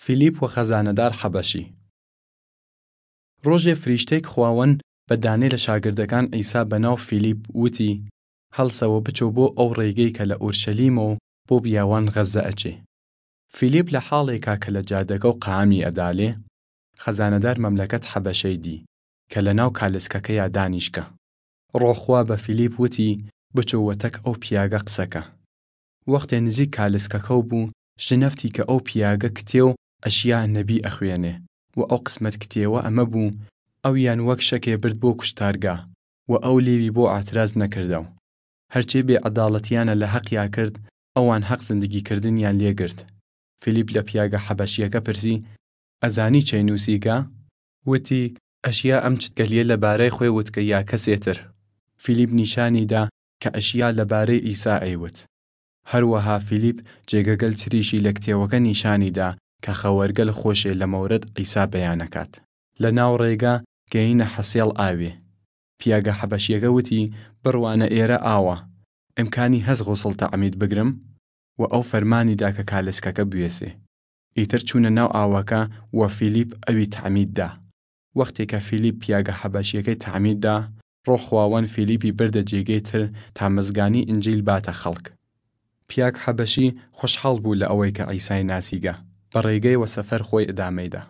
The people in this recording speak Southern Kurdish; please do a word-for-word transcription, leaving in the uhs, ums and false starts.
فیلیپ و خەزانەدار حەبەشی. روژێ فریشتەیگ خواوەن بە دانێ لە شاگردەکان عیسا بە ناو فیلیپ وتی، هەڵسە و بچۆ بۆ ئەو رێگەی کە لە ئورشەلیمەو بۆ بیاوان غەزە ئەچێ. فیلیپ لە حاڵێکا کە لە جادەگەو قامی ئەدالێ، خەزانەدار مەملەکەت حەبەشەی دی کە لە ناو کالسکەکەیا دانیشکە. روح خوا بە فیلیپ وتی، بچۆ وەتەک ئەو پیاگە قسەکە. وەختێ نزیک کالسکەکەو بۊ، شنەفتی کە ئەو پیاگە کتێ و ئەشیا نەبی ئەخوێنێ و ئەو قسمەت کتێوە ئەمە بۊ، ئەویان وەک شەکێ برد بۆ کوشتارگا و ئەو لێوی بۆ ئاتراز نەکردەو. هەرچێ بێ عەداڵەتیانە لە هەقیا کرد، ئەوان هەق زندگی کردنیان لێ گرد. فیلیپ لە پیاگە حەبەشیەکە پرسی، ئەزانی چەی نووسیگە؟ وتی، ئەشیا ئەم چتگەلیە لە بارەی خوێ وتگە یا کەسێ تر؟ فیلیپ نیشانی دا کە ئەشیا لە بارەی عیسا ئەیوت. هەروەها فیلیپ جێگەگەل تریشی لە کتێوەگە نیشانی دا کە خەوەرگەل خوەشێ لە مەورەد عیسا بەیانەکات. لە ناو رێگا گەینە حەسێڵ ئاوێ. پیاگە حەبەشیەگە وتی، بڕوانە ئێرە ئاوە. ئمکانی هەس غوسڵ تەعمید بگرم؟ و ئەو فەرمانی دا کە کالسکەکە بوێسێ. ئیتر چوونە ناو ئاوەکە و فیلیپ ئەوی تەعمید دا. وەختێ کە فیلیپ پیاگە حەبەشیەکەی تەعمید دا، روح خواوەن فیلیپی بردە جێگەی تر تا مزگانی ئنجیل باتە خەڵک. پیاگ حەبەشی خوەشحاڵ بۊ لە ئەوەی کە عیسای ناسیگە، بە رێگەی وە سەفەر خوەی ئدامەی دا.